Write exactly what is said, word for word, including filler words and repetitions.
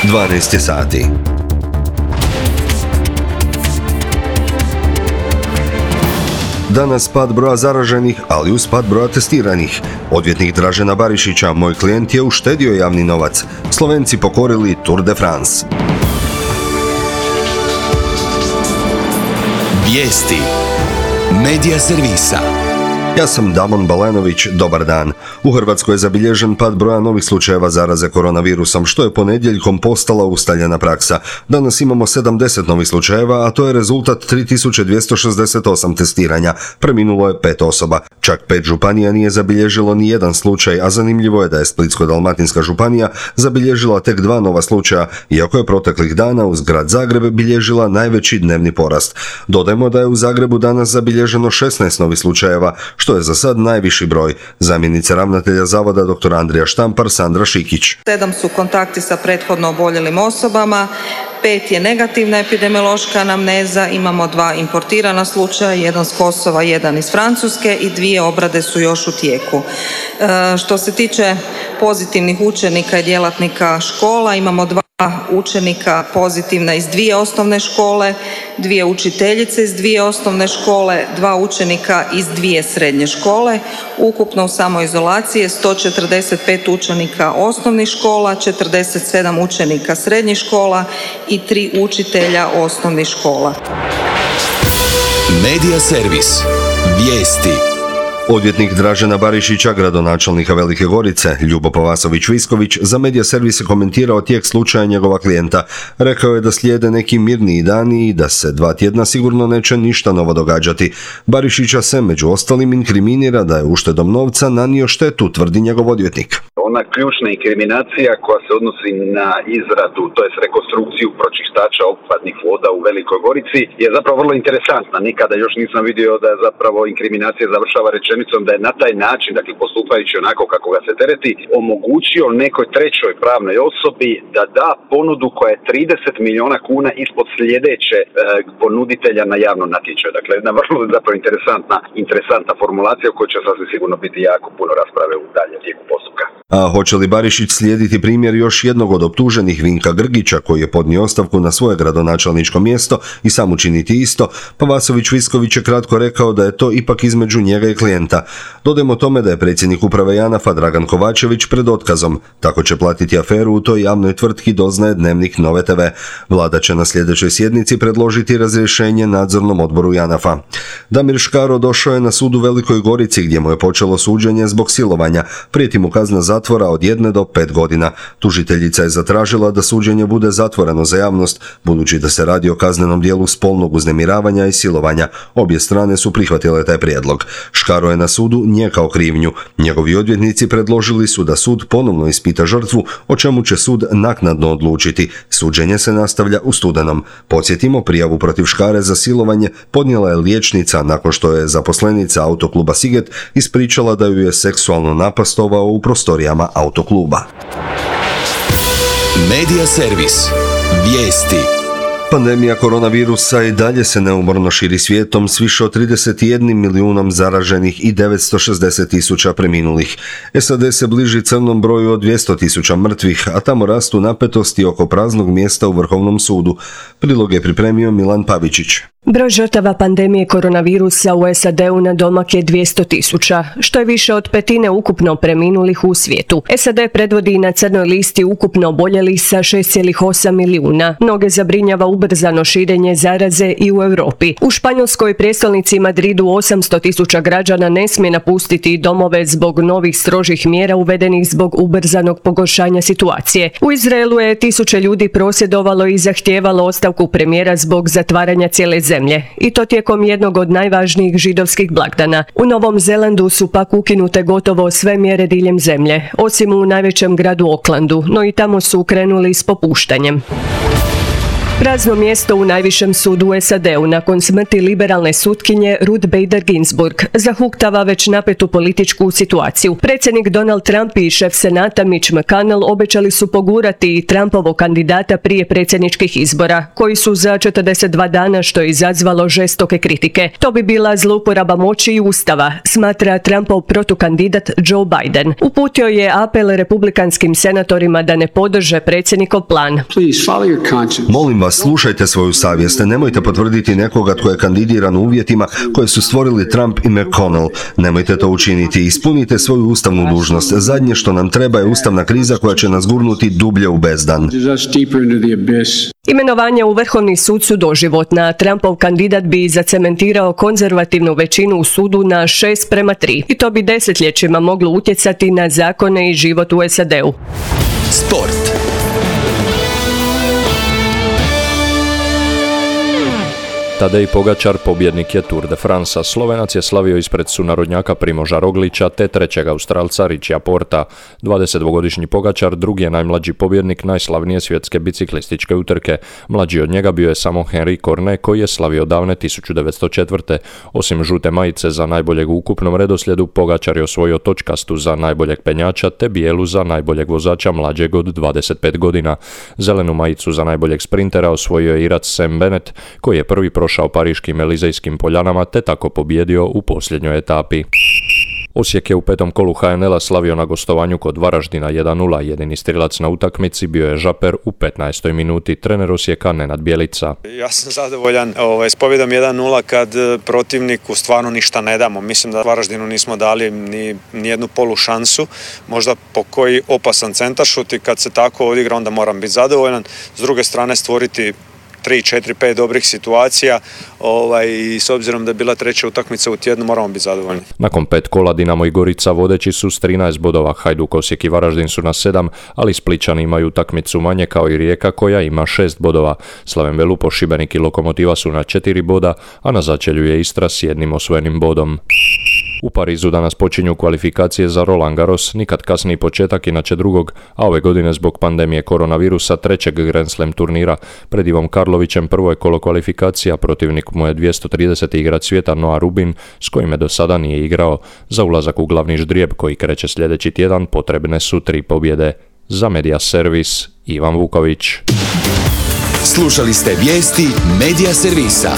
dvanaest je sati. Danas pad broja zaraženih, ali uz pad broja testiranih. Odvjetnik Dražena Barišića, moj klijent je uštedio javni novac. Slovenci pokorili Tour de France. Vijesti Medija servisa. Ja sam Damon Balanović, dobar dan. U Hrvatskoj je zabilježen pad broja novih slučajeva zaraze koronavirusom, što je ponedjeljkom postala ustaljena praksa. Danas imamo sedamdeset novih slučajeva, a to je rezultat tri tisuće dvjesto šezdeset osam testiranja. Preminulo je pet osoba. Čak pet županija nije zabilježilo ni jedan slučaj, a zanimljivo je da je Splitsko-dalmatinska županija zabilježila tek dva nova slučaja, iako je proteklih dana uz grad Zagreb bilježila najveći dnevni porast. Dodajmo da je u Zagrebu danas zabilježeno šesnaest novih slučajeva, što je za sad najviši broj. Zamjenica ravnatelja zavoda dr. Andrija Štampar, Sandra Šikić. Sedam su kontakti sa prethodno oboljelim osobama, pet je negativna epidemiološka anamneza, imamo dva importirana slučaja, jedan s Kosova, jedan iz Francuske i dvije obrade su još u tijeku. E, što se tiče pozitivnih učenika i djelatnika škola, imamo dva učenika pozitivna iz dvije osnovne škole, dvije učiteljice iz dvije osnovne škole, dva učenika iz dvije srednje škole. Ukupno u samoizolaciji je sto četrdeset pet učenika osnovnih škola, četrdeset sedam učenika srednjih škola i tri učitelja osnovnih škola. Medija servis. Vijesti. Odvjetnik Dražena Barišića, gradonačelnika Velike Gorice, Ljubo Pavasović-Visković, za Medija servis je komentirao tijek slučaja njegova klijenta. Rekao je da slijede neki mirniji dani i da se dva tjedna sigurno neće ništa novo događati. Barišića se među ostalim inkriminira da je uštedom novca nanio štetu, tvrdi njegov odvjetnik. Ona ključna inkriminacija koja se odnosi na izradu, to jest rekonstrukciju pročištača otpadnih voda u Velikoj Gorici, je zapravo vrlo interesantna. Nikada još nisam vidio da je zapravo inkriminacija završava rečenicom da je na taj način, dakle postupajući onako kako ga se tereti, omogućio nekoj trećoj pravnoj osobi da da ponudu koja je trideset milijuna kuna ispod sljedeće e, ponuditelja na javnom natječaju. Dakle, jedna vrlo zapravo interesantna, interesantna formulacija u kojoj će sasvim sigurno biti jako puno rasprave u daljem tijeku postupka. A hoće li Barišić slijediti primjer još jednog od optuženih, Vinka Grgića, koji je podnio ostavku na svoje gradonačelničko mjesto i sam učiniti isto? Pavasović-Visković je kratko rekao da je to ipak između njega i klijenta. Dodajmo tome da je predsjednik uprave JANAF-a Dragan Kovačević pred otkazom. Tako će platiti aferu u toj javnoj tvrtki, doznaje Dnevnik Nove te ve. Vlada će na sljedećoj sjednici predložiti razrješenje nadzornom odboru JANAF-a. Damir Škaro došao je na sud u Velikoj Gorici gdje mu je počelo suđenje zbog silovanja. Prijeti mu kazna zatvora od jedne do pet godina. Tužiteljica je zatražila da suđenje bude zatvoreno za javnost, budući da se radi o kaznenom dijelu spolnog uznemiravanja i silovanja. Obje strane su prihvatile taj prijedlog. Škaro je na sudu nijekao krivnju. Njegovi odvjetnici predložili su da sud ponovno ispita žrtvu, o čemu će sud naknadno odlučiti. Suđenje se nastavlja u studenom. Podsjetimo, prijavu protiv Škare za silovanje podnijela je liječnica nakon što je zaposlenica autokluba Siget ispričala da ju je seksualno napastovao u prostorijama autokluba. Medija servis. Vijesti. Pandemija koronavirusa i dalje se neumorno širi svijetom s više od trideset jedan milijunom zaraženih i devetsto šezdeset tisuća preminulih. es a de se bliži crnom broju od dvjesto tisuća mrtvih, a tamo rastu napetosti oko praznog mjesta u Vrhovnom sudu. Prilog je pripremio Milan Pavičić. Broj žrtava pandemije koronavirusa u es a de-u na domak je dvjesto tisuća, što je više od petine ukupno preminulih u svijetu. es a de predvodi na crnoj listi ukupno oboljelih sa šest zarez osam milijuna. Mnoge zabrinjava ubrzano širenje zaraze i u Europi. U Španjolskoj prijestolnici Madridu osamsto tisuća građana ne smije napustiti domove zbog novih strožih mjera uvedenih zbog ubrzanog pogoršanja situacije. U Izraelu je tisuće ljudi prosvjedovalo i zahtijevalo ostavku premijera zbog zatvaranja cijele zemlje. I to tijekom jednog od najvažnijih židovskih blagdana. U Novom Zelandu su pak ukinute gotovo sve mjere diljem zemlje, osim u najvećem gradu Aucklandu, no i tamo su krenuli s popuštanjem. Prazno mjesto u najvišem sudu u S A D-u nakon smrti liberalne sutkinje Ruth Bader Ginsburg zahuktava već napetu političku situaciju. Predsjednik Donald Trump i šef Senata Mitch McConnell obećali su pogurati i Trumpovog kandidata prije predsjedničkih izbora, koji su za četrdeset dva dana, što je izazvalo žestoke kritike. To bi bila zlouporaba moći i ustava, smatra Trumpov protukandidat Joe Biden. Uputio je apel republikanskim senatorima da ne podrže predsjednikov plan. Molim vas, slušajte svoju savjest, nemojte potvrditi nekoga tko je kandidiran u uvjetima koje su stvorili Trump i McConnell. Nemojte to učiniti, ispunite svoju ustavnu dužnost. Zadnje što nam treba je ustavna kriza koja će nas gurnuti dublje u bezdan. Imenovanje u Vrhovni sud su doživotna. Trumpov kandidat bi zacementirao konzervativnu većinu u sudu na šest prema tri. I to bi desetljećima moglo utjecati na zakone i život u S A D-u. Sport. Tadej Pogačar pobjednik je Tour de France. Slovenac je slavio ispred sunarodnjaka Primoža Roglića te trećeg Australca Richija Porta. dvadesetdvogodišnji Pogačar drugi je najmlađi pobjednik najslavnije svjetske biciklističke utrke. Mlađi od njega bio je samo Henry Cornet koji je slavio davne tisuću devetsto četvrte. Osim žute majice za najboljeg u ukupnom redoslijedu, Pogačar je osvojio točkastu za najboljeg penjača te bijelu za najboljeg vozača mlađeg od dvadeset pet godina. Zelenu majicu za najboljeg sprintera osvojio je Irac Sam Bennett koji je prvi prošao pariškim Elizejskim poljanama te tako pobjedio u posljednjoj etapi. Osijek je u petom kolu H N L-a slavio na gostovanju kod Varaždina jedan nula. Jedini strilac na utakmici bio je Žaper u petnaestoj minuti. Trener Osijeka Nenad Bjelica. Ja sam zadovoljan ovaj, s pobjedom jedan nula kad protivniku stvarno ništa ne damo. Mislim da Varaždinu nismo dali ni, ni jednu polu šansu. Možda po koji opasan centaršut i kad se tako odigra onda moram biti zadovoljan. S druge strane stvoriti tri, četiri, pet dobrih situacija ovaj, i s obzirom da je bila treća utakmica u tjednu moramo biti zadovoljni. Nakon pet kola Dinamo i Gorica vodeći su s trinaest bodova, Hajduk, Osijek i Varaždin su na sedam, ali Splićani imaju utakmicu manje kao i Rijeka koja ima šest bodova. Slaven Velupo, Šibenik i Lokomotiva su na četiri boda, a na začelju je Istra s jednim osvojenim bodom. U Parizu danas počinju kvalifikacije za Roland Garros, nikad kasniji početak inače drugog, a ove godine zbog pandemije koronavirusa trećeg Grand Slam turnira. Pred Ivom Karlovićem prvo je kolo kvalifikacija, protivnik mu je dvjesto trideseti igrač svijeta Noah Rubin, s kojime do sada nije igrao. Za ulazak u glavni ždrijeb koji kreće sljedeći tjedan potrebne su tri pobjede. Za Media Servis, Ivan Vuković. Slušali ste vijesti Media Servisa.